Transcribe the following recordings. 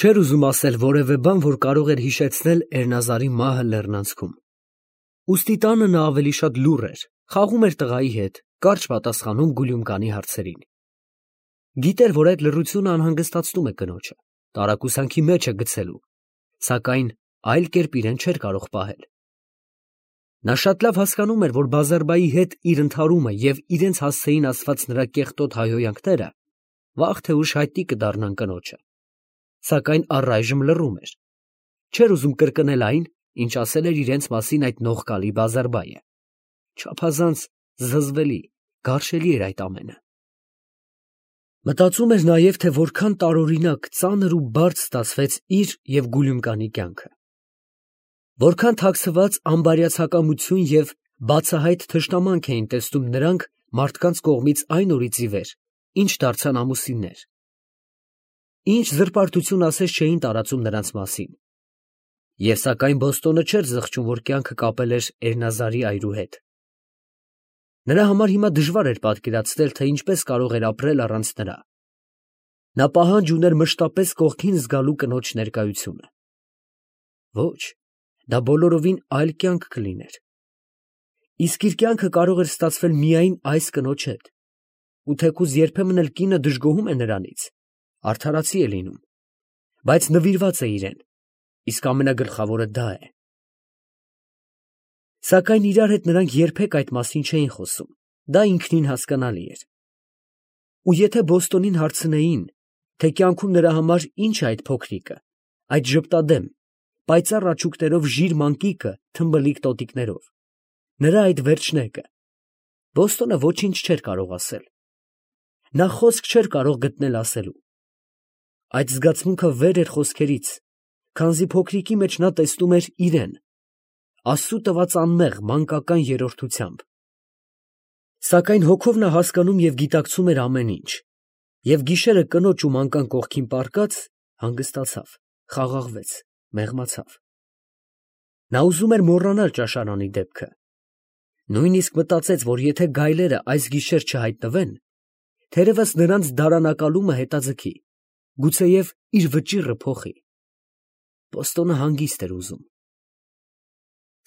Չէր ուզում ասել որևէ բան, որ կարող էր հիշեցնել Էրնազարի մահը լեռնանցքում։ Ուստի տանը նա ավելի շատ լուռ էր, խաղում էր տղայի հետ, կարճ պատասխանում Գուլյումկանի հարցերին։ Գիտեր, որ այդ լռությունը անհանգստացնում է կնոջը, տարակուսանքի մեջ է գցելու, սակայն այլ կերպ իրեն չէր կարող պահել։ Նա շատ լավ հասկանում էր, որ Բազարբայի հետ իր ընդհարումը և իրենց հասցեին ասված նրա կեղտոտ հայհոյանքները վաղ թե ուշ հայտնի կդառնան կնոջը, սակայն առայժմ լռում էր, չէր ուզում կրկնել այն, ինչ ասել էր իրենց մասին այդ նողկալի Բազարբայը։ Չափազանց զզվելի, գարշելի էր այդ ամենը։ Մտածում էր նաև, թե որքան տարօրինակ, ծանր ու բարդ ստացվեց իր և Գուլյումկանի կյանքը։ Որքան թաքցված անբարյացակամություն և բացահայտ թշնամանք էին տեսնում նրանք մարդկանց կողմից այն օրից ի վեր, ինչ դարձան ամուսիններ։ Ինչ զրպարտություն ասես չէին տարածում նրանց մասին։ Եվ սակայն Բոստոնը չէր զղջում, որ կյանքը կապել էր Էրնազարի այրու հետ։ Նրա համար հիմա դժվար էր պատկերացնել, թե ինչպես կարող էր ապրել առանց նրա։ Նա պահանջ ուներ մշտապես կողքին զգալու կնոջ ներկայությունը։ Ոչ, դա բոլորովին այլ կյանք կլիներ։ Իսկ իր կյանքը կարող էր ստացվել միայն այս կնոջ հետ, ու թեկուզ երբեմն էլ կինը դժգոհում է նրանից, արդարացի է լինում, բայց նվիրված է իրեն, իսկ ամենագլխավորը դա է։ Սակայն իրար հետ նրանք երբեք այդ մասին չէին խոսում, դա ինքնին հասկանալի էր։ Ու եթե Բոստոնին հարցնեին, թե կյանքում նրա համար ինչ է այդ փոքրիկը, այդ ժպտադեմ, պայծառ աչուկներով ժիր մանկիկը թմբլիկ տոտիկներով, նրա այդ վերջնեկը, Բոստոնը ոչինչ չէր կարող ասել։ Նա խոսք չէր կարող գտնել ասելու։ Այդ զգացմունքը վեր էր խոսքերից, քանզի փոքրիկի մեջ նա տեսնում էր իրեն, Աստծու տված անմեղ մանկական երրորդությամբ։ Սակայն հոգով նա հասկանում և գիտակցում էր ամեն ինչ, և գիշերը կնոջ ու մանկան կողքին պառկած, հանգստացավ, խաղաղվեց, մեղմացավ։ Նա ուզում էր մոռանալ ճաշարանի դեպքը։ Նույնիսկ մտածեց, որ եթե գայլերը այս գիշեր չհայտնվեն, թերևս նրանց դարանակալումը հետաձգի, գուցեև իր վճիռը փոխի։ Բոստոնը հանգիստ էր ուզում։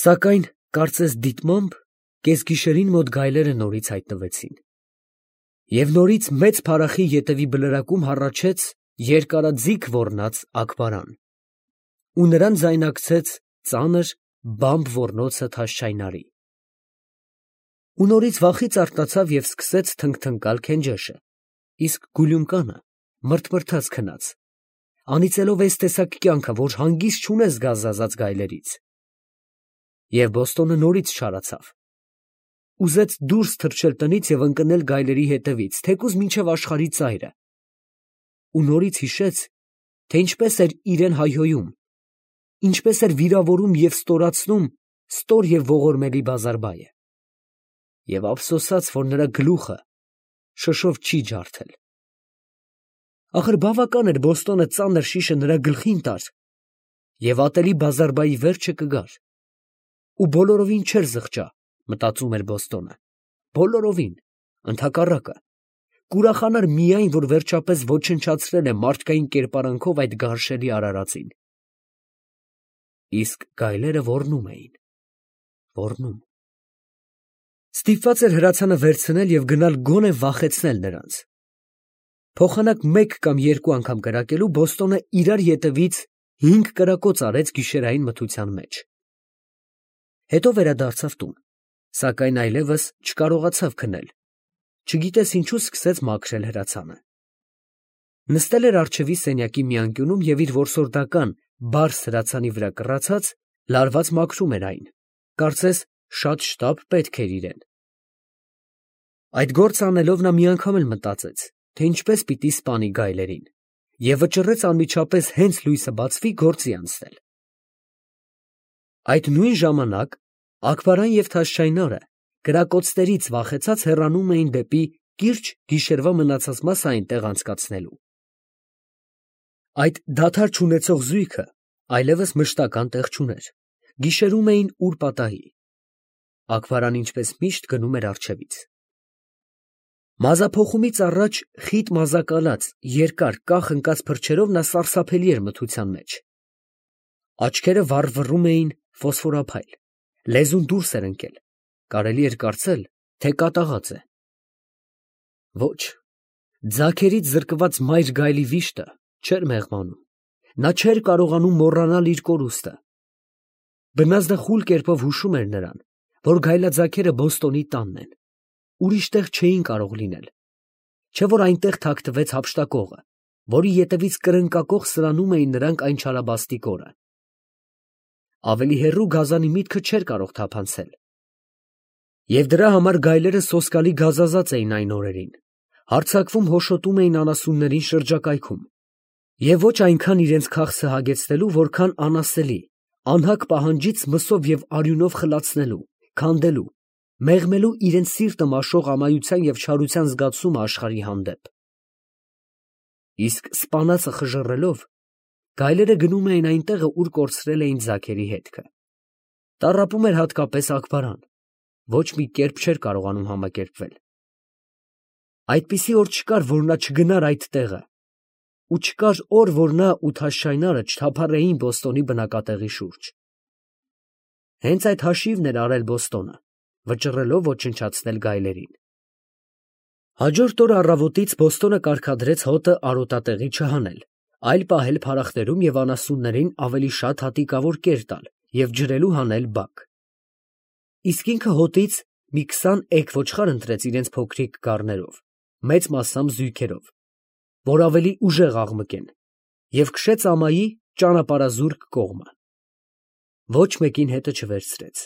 Սակայն, կարծես դիտմամբ, կեսգիշերին մոտ գայլերը նորից հայտնվեցին։ Եվ նորից մեծ փարախի ետևի բլրակում հառաչեց երկարաձիգ ոռնաց Աքբարան, ու նրան ձայնակցեց ծանր բամբ ոռնոցը Թաշչայնարի։ Ու նորից վախից արթնացավ և սկսեց թնգթնկալ Քենջեշը, իսկ Գուլյումկանը մռթմռթաց քնած, անիծելով էս տեսակ կյանքը, որ հանգիստ չունես գազազած գայլերից։ Եվ Բոստոնը նորից չարացավ։ Ուզեց դուրս թռչել տնից և ընկնել գայլերի հետևից, թեկուզ մինչև աշխարհի ծայրը։ Ու նորից հիշեց, թե ինչպես էր իրեն հայհոյում, ինչպես էր վիրավորում և ստորացնում ստոր և ողորմելի Բազարբայը։ Եվ ափսոսաց, որ նրա գլուխը շշով չի ջարդել։ Ախր բավական էր Բոստոնը ծանր շիշը նրա գլխին տար, և ատելի Բազարբայի վերջը կգար։ Ու բոլորովին չէր զղջա, մտածում էր Բոստոնը, բոլորովին, ընդհակառակը, կուրախանար միայն, որ վերջապես ոչնչացրել է մարդկային կերպարանքով այդ գարշելի արարածին։ Իսկ գայլերը ոռնում էին, ոռնում։ Ստիպված էր հրացանը վերցնել և գնալ գոնե վախեցնել նրանց։ Փոխանակ մեկ կամ երկու անգամ կրակելու Բոստոնը իրար ետևից 5 կրակոց արեց գիշերային մթության մեջ։ Հետո վերադարձավ տուն, սակայն այլևս չկարողացավ քնել, չգիտես ինչու սկսեց մաքրել հրացանը։ Նստել էր առջևի սենյակի մի անկյունում և իր որսորդական բարս հրացանի վրա կռացած, լարված մաքրում էր այն, կարծես շատ շտապ պետք էր իրեն։ Այդ գործը անելով նա մի անգամ էլ մտածեց, թե ինչպես պիտի սպանի գայլերին, և վճռեց անմիջապես հենց լույսը բացվի գործի անցնել։ Այդ նույն ժամանակ Աքբարան և Թաշչայնարը կրակոցներից վախեցած հեռանում էին դեպի կիրճ գիշերվա մնացած մասը այնտեղ անցկացնելու։ Այդ դադար չունեցող զույգը այլևս մշտական տեղ չուներ, գիշերում էին ուր պատահի։ Աքբարան ինչպես միշտ գնում էր առջևից։ Մազափոխումից առաջ խիտ մազակալած, երկար, կախ ընկած փրչերով նա սարսափելի էր մթության մեջ։ Աչքերը վառվռում էին ֆոսֆորափայլ, լեզուն դուրս էր ընկել, կարելի էր կարծել, թե կատաղած է։ Ոչ, ձագերից զրկված մայր գայլի վիշտը չէր մեղմանում, նա չէր կարողանում մոռանալ իր կորուստը։ Բնազդը խուլ կերպով հուշում էր նրան, որ գայլաձագերը Բոստոնի տանն են, ուրիշ տեղ չէին կարող լինել, չէ որ այնտեղ թաքնվեց հափշտակողը, որի ետևից կրնկակոխ սրանում էին նրանք այն չարաբաստիկ օրը։ Ավելի հեռու գազանի միտքը չէր կարող թափանցել։ Եվ դրա համար գայլերը սոսկալի գազազած էին այն օրերին, հարձակվում հոշոտում էին անասուններին շրջակայքում, և ոչ այնքան իրենց քաղցը հագեցնելու, որքան անասելի, անհագ պահանջից մսով և արյունով խլացնելու, քանդելու, մեղմելու իրենց սիրտը մաշող ամայության և չարության զգացումը աշխարհի հանդեպ։ Իսկ սպանածը խժռելով, գայլերը գնում էին այնտեղը, ուր կորցրել էին ձագերի հետքը։ Տառապում էր հատկապես Աքբարան, ոչ մի կերպ չէր կարողանում համակերպվել։ Այդպիսի օր չկար, որ նա չգնար այդ տեղը, ու չկար օր, որ նա ու Թաշչայնարը չթափառեին Բոստոնի բնակատեղի շուրջ։ Հենց այդ հաշիվն էր արել Բոստոնը, վճռելով ոչնչացնել գայլերին։ Հաջորդ օրը առավոտից Բոստոնը կարգադրեց հոտը արոտատեղի չհանել, այլ պահել փարախներում և անասուններին ավելի շատ հատիկավոր կեր տալ և ջրելու հանել բակ։ Իսկ ինքը հոտից մի 20 էգ ոչխար ընտրեց իրենց փոքրիկ գառներով, մեծ մասամբ զույգերով, որ ավելի ուժեղ աղմկեն, և քշեց ամայի ճանապարհազուրկ կողմը։ Ոչ մեկին հետը չվերցրեց,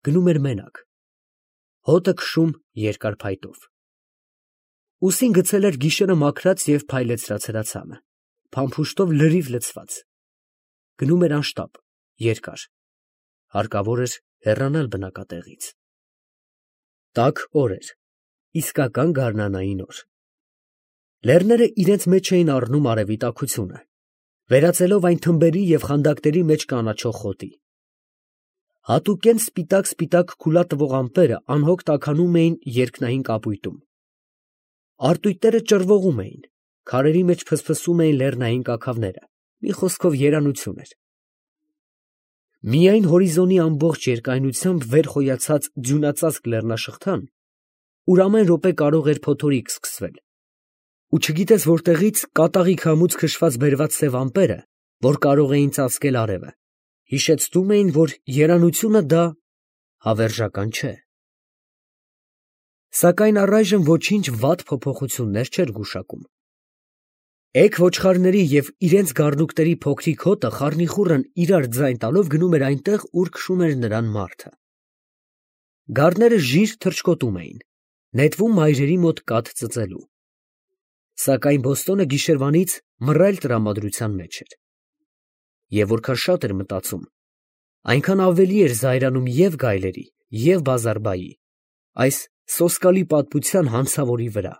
գնում էր մենակ, հոտը քշում երկար փայտով։ Ուսին գցել էր գիշերը մաքրած և փայլեցրած հրացանը, փամփուշտով լրիվ լցված, գնում էր անշտապ, երկար, հարկավոր էր հեռանալ բնակատեղից։ Տաք օր էր, իսկական գարնանային օր։ Լեռները իրենց մեջ էին առնում արևի տաքությունը, վերածելով այն թմբերի և խանդակների մեջ կանաչող խոտի։ Հատուկենտ սպիտակ քուլա տվող ամպերը անհոգ տաքանում էին երկնային կապույտում։ Արտույտները ճռվողում էին, քարերի մեջ ֆսֆսում էին լեռնային կաքավները, մի խոսքով երանություն էր։ Միայն հորիզոնի ամբողջ երկայնությամբ վեր խոյացած ձյունածածկ լեռնաշղթան, ուր ամեն րոպե կարող էր փոթորիկ սկսվել, ու չգիտես որտեղից կատաղի քամուց քշված բերված սև ամպերը, որ կարող էին ծածկել արևը, հիշեցնում էին, որ երանությունը դա հավերժական չէ։ Սակայն առայժմ ոչինչ վատ փոփոխություններ չէր գուշակում։ Էգ ոչխարների և իրենց գառնուկների փոքրիկ հոտը խառնիխուռն իրար ձայն տալով գնում էր այնտեղ, ուր քշում էր նրան մարդը։ Գառները ժիր թռչկոտում էին, նետվում մայրերի մոտ կաթ ծծելու։ Սակայն Բոստոնը գիշերվանից մռայլ տրամադրության մեջ էր։ Եվ որքան շատ էր մտածում, այնքան ավելի էր զայրանում և գայլերի, և Բազարբայի, այս սոսկալի պատմության հանցավորի վրա։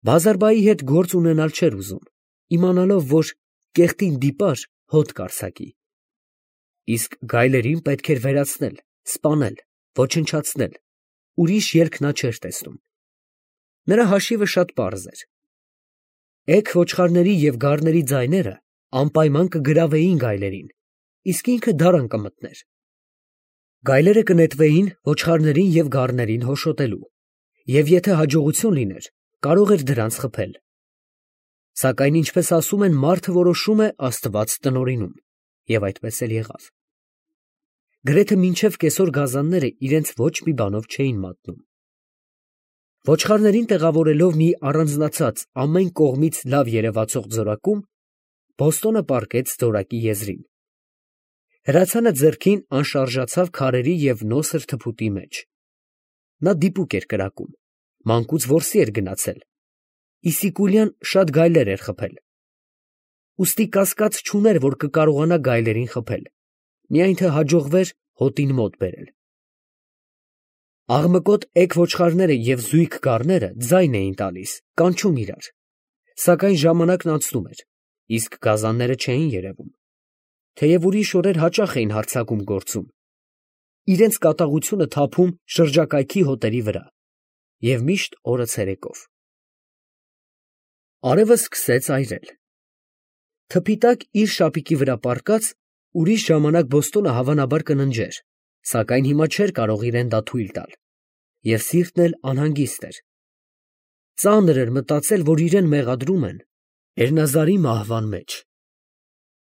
Բազարբայի հետ գործ ունենալ չէր ուզում, իմանալով, որ կեղտին դիպար հոտ կարձակի։ Իսկ գայլերին պետք էր վերացնել, սպանել, ոչնչացնել, ուրիշ ելք նա չէր տեսնում։ Նրա հաշիվը շատ պարզ էր։ Էգ ոչխարների և գառների ձայները անպայման կգրավեին գայլերին, իսկ ինքը դարան կմտներ։ Գայլերը կնետվեին ոչխարներին և գառներին հոշոտելու, և եթե հաջողություն լիներ, կարող էր դրանց խփել։ Սակայն, ինչպես ասում են, մարդը որոշում է, Աստված տնօրինում, և այդպես էլ եղավ։ Գրեթե մինչև կեսօր գազանները իրենց ոչ մի բանով չէին մատնում։ Ոչխարներին տեղավորելով մի առանձնացած, ամեն կողմից լավ երևացող ձորակում, Բոստոնը պառկեց ձորակի եզրին։ Հրացանը ձեռքին անշարժացավ քարերի և նոսր թփուտի մեջ։ Նա դիպուկ էր կրակում, մանկուց որսի էր գնացել, իսիկուլյան շատ գայլեր էր խփել։ Ուստի կասկած չուներ, որ կկարողանա գայլերին խփել, միայն թե հաջողվեր հոտին մոտ բերել։ Աղմկոտ էգ ոչխարները և զույգ գառները ձայն էին տալիս, կանչում իրար, սակայն ժամանակն անցնում էր, իսկ գազանները չէին երևում, թեև ուրիշ օրեր հաճախ էին հարձակում գործում, իրենց կատաղությունը թափում շրջակայքի հոտերի վրա, և միշտ օրը ցերեկով։ Արևը սկսեց այրել։ Թփի տակ իր շապիկի վրա պառկած ուրիշ ժամանակ Բոստոնը հավանաբար կննջեր, սակայն հիմա չէր կարող իրեն դա թույլ տալ, և սիրտն էլ անհանգիստ էր։ Ծանր էր մտածել, որ իրեն մեղադրում են Էրնազարի մահվան մեջ։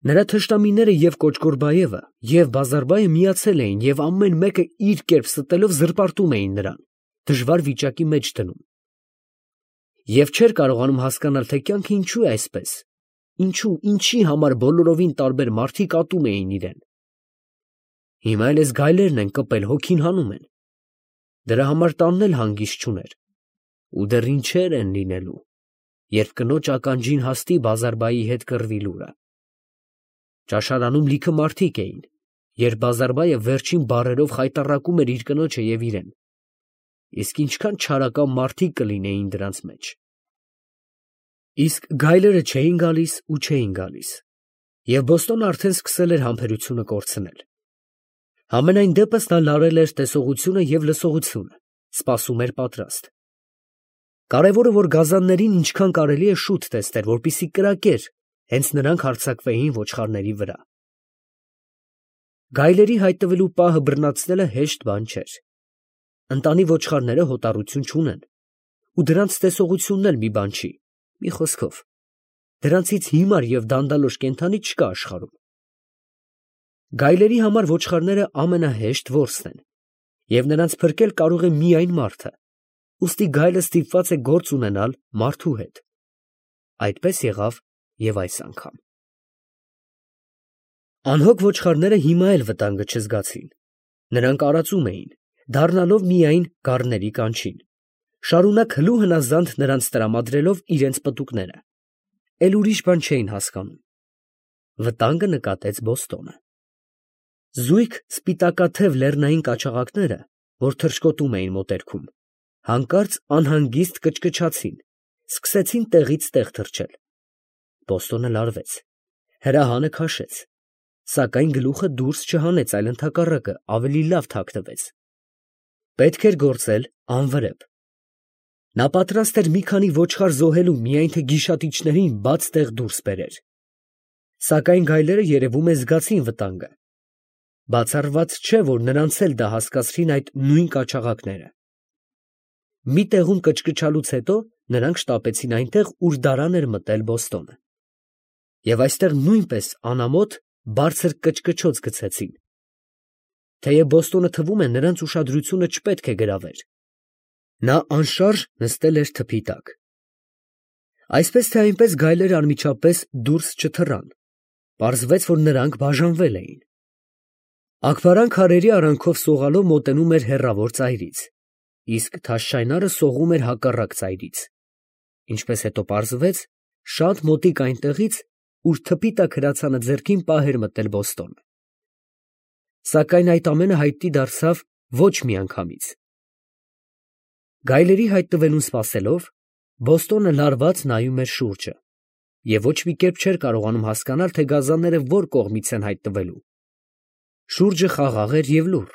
Նրա թշնամիները և Կոճկորբայևը, և Բազարբայը միացել էին և ամեն մեկը իր կերպ ստելով զրպարտում էին նրան, դժվար վիճակի մեջ դնում։ Եվ չէր կարողանում հասկանալ, թե կյանքը ինչու է այսպես, ինչի համար բոլորովին տարբեր մարդիկ ատում էին իրեն։ Հիմա էլ էս գայլերն են կպել, հոգին հանում են։ Դրա համար տանն էլ հանգիստ չուներ։ Ու դեռ ինչեր են լինելու, երբ կնոջ ականջին հասնի Բազարբայի հետ կռվի լուրը։ Ճաշարանում լիքը մարդիկ էին, երբ Բազարբայը վերջին բառերով խայտառակում էր իր կնոջը և իրեն։ Իսկ ինչքան չարակամ մարդիկ կլինեին դրանց մեջ։ Իսկ գայլերը չէին գալիս ու չէին գալիս, և Բոստոնը արդեն սկսել էր համբերությունը կորցնել։ Համենայն դեպս նա լարել էր տեսողությունը և լսողությունը, սպասում էր պատրաստ։ Կարևորը, որ գազաններին ինչքան կարելի է շուտ տեսներ, որպեսզի կրակեր, հենց նրանք հարձակվեին ոչխարների վրա։ Գայլերի հայտնվելու պահը բռնացնելը հեշտ բան չէր։ Ընտանի ոչխարները հոտառություն չունեն, ու դրանց տեսողությունն էլ մի բան չի, մի խոսքով, դրանցից հիմար և դանդալոշ կենդանի չկա աշխարհում։ Գայլերի համար ոչխարները ամենահեշտ որսն են, և նրանց փրկել կարող է միայն մարդը, ուստի գայլը ստիպված է գործ ունենալ մարդու հետ։ Այդպես եղավ և այս անգամ։ Անհոգ ոչխարները հիմա էլ վտանգը չզգացին։ Նրանք արածում էին, դառնալով միայն գառների կանչին, շարունակ հլու հնազանդ նրանց տրամադրելով իրենց պտուկները, էլ ուրիշ բան չէին հասկանում։ Վտանգը նկատեց Բոստոնը։ Զույգ սպիտակաթև լեռնային կաչաղակները, որ թռչկոտում էին մոտերքում, հանկարծ անհանգիստ կչկչացին, սկսեցին տեղից տեղ թռչել։ Բոստոնը լարվեց, հրահանը քաշեց, սակայն գլուխը դուրս չհանեց, այլ ընդհակառակը ավելի լավ թաքնվեց։ Պետք էր գործել անվրեպ։ Նա պատրաստ էր մի քանի ոչխար զոհելու, միայն թե գիշատիչներին բաց տեղ դուրս բերեր։ Սակայն գայլերը երևում է զգացին վտանգը։ Բացառված չէ, որ նրանց էլ դա հասկացրին այդ նույն կաչաղակները։ Մի տեղում կչկչալուց հետո նրանք շտապեցին այնտեղ, ուր դարան էր մտել Բոստոնը։ Եվ այստեղ նույնպես անամոթ բարձր կչկչոց գցեցին։ Թեև Բոստոնը թվում է նրանց ուշադրությունը չպետք է գրավեր։ Նա անշարժ նստել էր թփի տակ։ Այսպես թե այնպես գայլերը անմիջապես դուրս չթռան։ Պարզվեց, որ նրանք բաժանվել էին։ Աքբարան քարերի արանքով սողալով մոտենում էր հեռավոր ծայրից, իսկ Թաշչայնարը սողում էր հակառակ ծայրից, ինչպես հետո պարզվեց, շատ մոտիկ այնտեղից, ուր թփի տակ հրացանը ձեռքին պահ էր մտել Բոստոնը։ Սակայն այդ ամենը հայտնի դարձավ ոչ միանգամից։ Գայլերի հայտնվելուն սպասելով, Բոստոնը լարված նայում էր շուրջը և ոչ մի կերպ չէր կարողանում հասկանալ, թե գազանները որ կողմից են հայտնվելու։ Շուրջը խաղաղ էր և լուռ։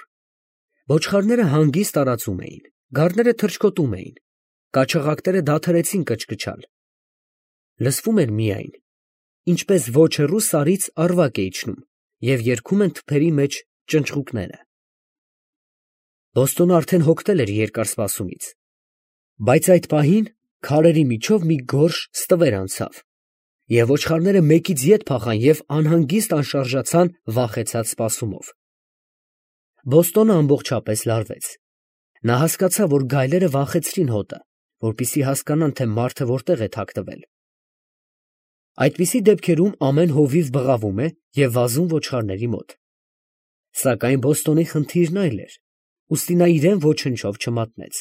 Ոչխարները հանգիստ տարածում էին, գառները թռչկոտում էին, կաչաղակները դադարեցին կչկչալ։ Լսվում էր միայն, ինչպես ոչ հեռու սարից ավարակ է իջնում, և երգում են թփերի մեջ ճնճղուկները։ Բոստոնը արդեն հոգնել էր երկար սպասումից, բայց այդ պահին քարերի միջով մի գորշ ստվեր անցավ, և ոչխարները մեկից ետ փախան և անհանգիստ անշարժացան վախեցած սպասումով։ Բոստոնը ամբողջապես լարվեց։ Նա հասկացավ, որ գայլերը վանխեցրին հոտը, որպեսզի հասկանան, թե մարդը որտեղ է թաքնվել։ Այդպիսի դեպքերում ամեն հովիվ բղավում է և վազում ոչխարների մոտ։ Սակայն Բոստոնի խնդիրն այլ էր, ուստի նա իրեն ոչնչով չմատնեց։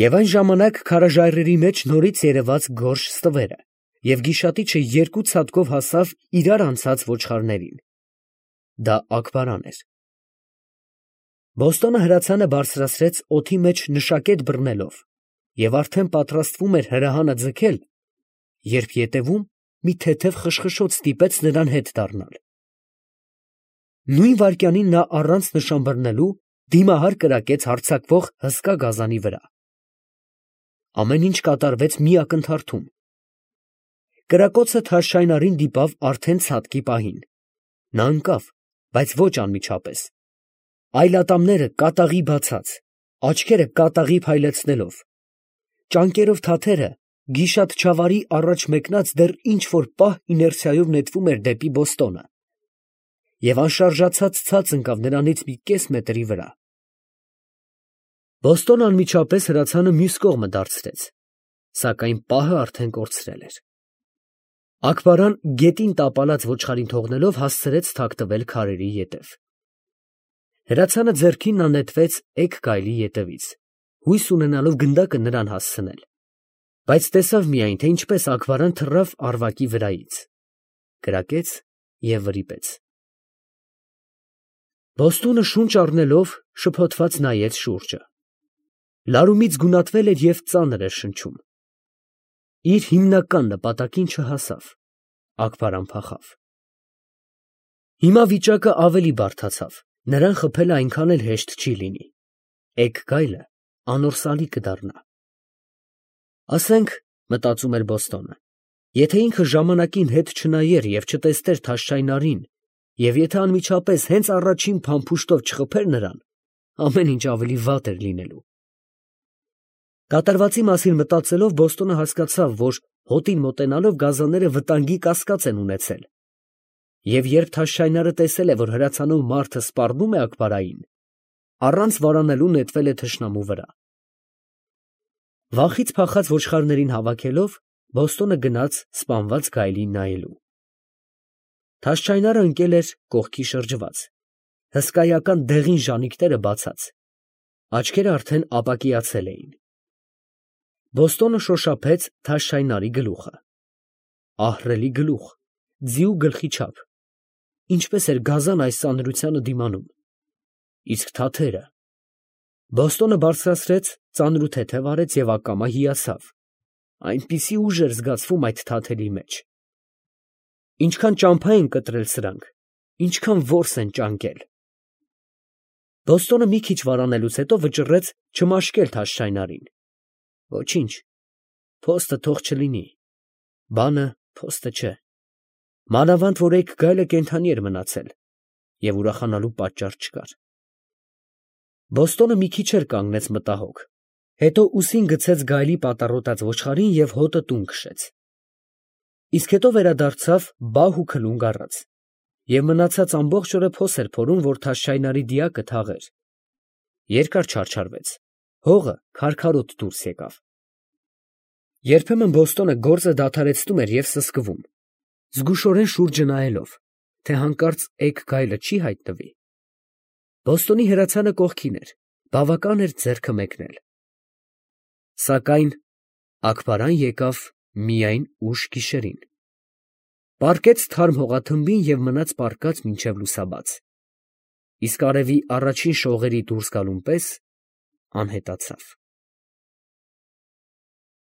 Եվ այն ժամանակ քարաժայռերի մեջ նորից երևաց գորշ ստվերը, և գիշատիչը երկու ցատկով հասավ իրար անցած ոչխարներին։ Դա Աքբարան էր։ Բոստոնը հրացանը բարձրացրեց օդի մեջ նշակետ բռնելով և արդեն պատրաստվում էր հրահանը ձգել, երբ ետևում մի թեթև խշխշոց ստիպեց նրան հետ դառնալ։ Նույն վայրկյանին նա առանց նշան բռնելու դիմահար կրակեց հարձակվող հսկա գազանի վրա։ Ամեն ինչ կատարվեց մի ակնթարթում։ Կրակոցը Թաշայնարին դիպավ արդեն ցատկի պահին։ Նա ընկավ, բայց ոչ անմիջապես։ Այլատամները կատաղի բացած, աչքերը կատաղի փայլեցնելով, ճանկերով թաթերը գիշատչավարի առաջ մեկնած դեռ ինչ-որ պահ իներցիայով նետվում էր դեպի Բոստոնը, և անշարժացած ցած ընկավ նրանից մի կես մետրի վրա։ Բոստոնը անմիջապես հրացանը մյուս կողմը դարձրեց, սակայն պահը արդեն կորցրել էր։ Աքբարան գետին տապալած ոչխարին թողնելով հասցրեց թաքնվել քարերի ետև։ Հրացանը ձեռքին նա նետվեց էգ գայլի ետևից, հույս ունենալով գնդակը նրան հասցնել, բայց տեսավ միայն, թե ինչպես Աքբարան թռավ առվակի վրայից, կրակեց և վրիպեց։ Բոստոնը շունչ առնելով շփոթված նայեց շուրջը։ Լարումից գունատվել էր և ծանր էր շնչում։ Իր հիմնական նպատակին չհասավ, Աքբարան փախավ։ Հիմա վիճակը ավելի բարդացավ, նրան խփելը այնքան էլ հեշտ չի լինի։ Էգ գայլը անորսալի կդառնա։ Ասենք, մտածում էր Բոստոնը, եթե ինքը ժամանակին հետ չնայեր և չտեսներ Թաշայնարին, և եթե անմիջապես հենց առաջին փամփուշտով չխփեր նրան, ամեն ինչ ավելի վատ էր լինելու։ Կատարվածի մասին մտածելով Բոստոնը հասկացավ, որ հոտին մոտենալով գազանները վտանգի կասկած են ունեցել, և երբ Թաշայնարը տեսել է, որ հրացանով մարդը սպառնում է Աքբարային, առանց վարանելու նետվել է թշնամու վրա։ Վախից փախած ոչխարներին հավաքելով, Բոստոնը գնաց սպանված գայլին նայելու։ Թաշայնարը ընկել էր կողքի շրջված, հսկայական դեղին ժանիքները բացած, աչքերը արդեն ապակիացել էին։ Բոստոնը շոշափեց Թաշայնարի գլուխը։ Ահռելի գլուխ, ձիու գլխի չափ, ինչպես էր գազան այս ծանրությանը դիմանում։ Իսկ թաթերը… Բոստոնը բարձրացրեց, ծանր ու թեթև արեց և ակամա հիացավ, այնպիսի ուժ էր զգացվում այդ թաթերի մեջ։ Ինչքան ճամփա են կտրել սրանք, ինչքան որս են ճանկել։ Բոստոնը մի քիչ վարանելուց հետո վճռեց չմաշկել Թաշայնարին։ Ոչինչ, փոստը թող չլինի, բանը փոստը չէ, մանավանդ որ էգ գայլը կենդանի էր մնացել, և ուրախանալու պատճառ չկար։ Բոստոնը մի քիչ էլ կանգնեց մտահոգ, հետո ուսին գցեց գայլի պատառոտած ոչխարին և հոտը տուն քշեց։ Իսկ հետո վերադարձավ բահ ու քլունգ առած, և մնացած ամբողջ օրը փոս էր փորում, որ Թաշայնարի դիակը թաղեր։ Երկար չարչարվեց, հողը քարքարոտ դուրս եկավ։ Երբեմն Բոստոնը գործը դադարեցնում էր և սսկվում, զգուշորեն շուրջը նայելով, թե հանկարծ էգ գայլը չի հայտնվի։ Բոստոնի հրացանը կողքին էր, բավական էր ձեռքը մեկնել։ Սակայն Աքբարան եկավ միայն ուշ գիշերին, պառկեց թարմ հողաթմբին և մնաց պառկած մինչև լուսաբաց, իսկ արևի առաջին շողերի դուրս գալուն պես անհետացավ։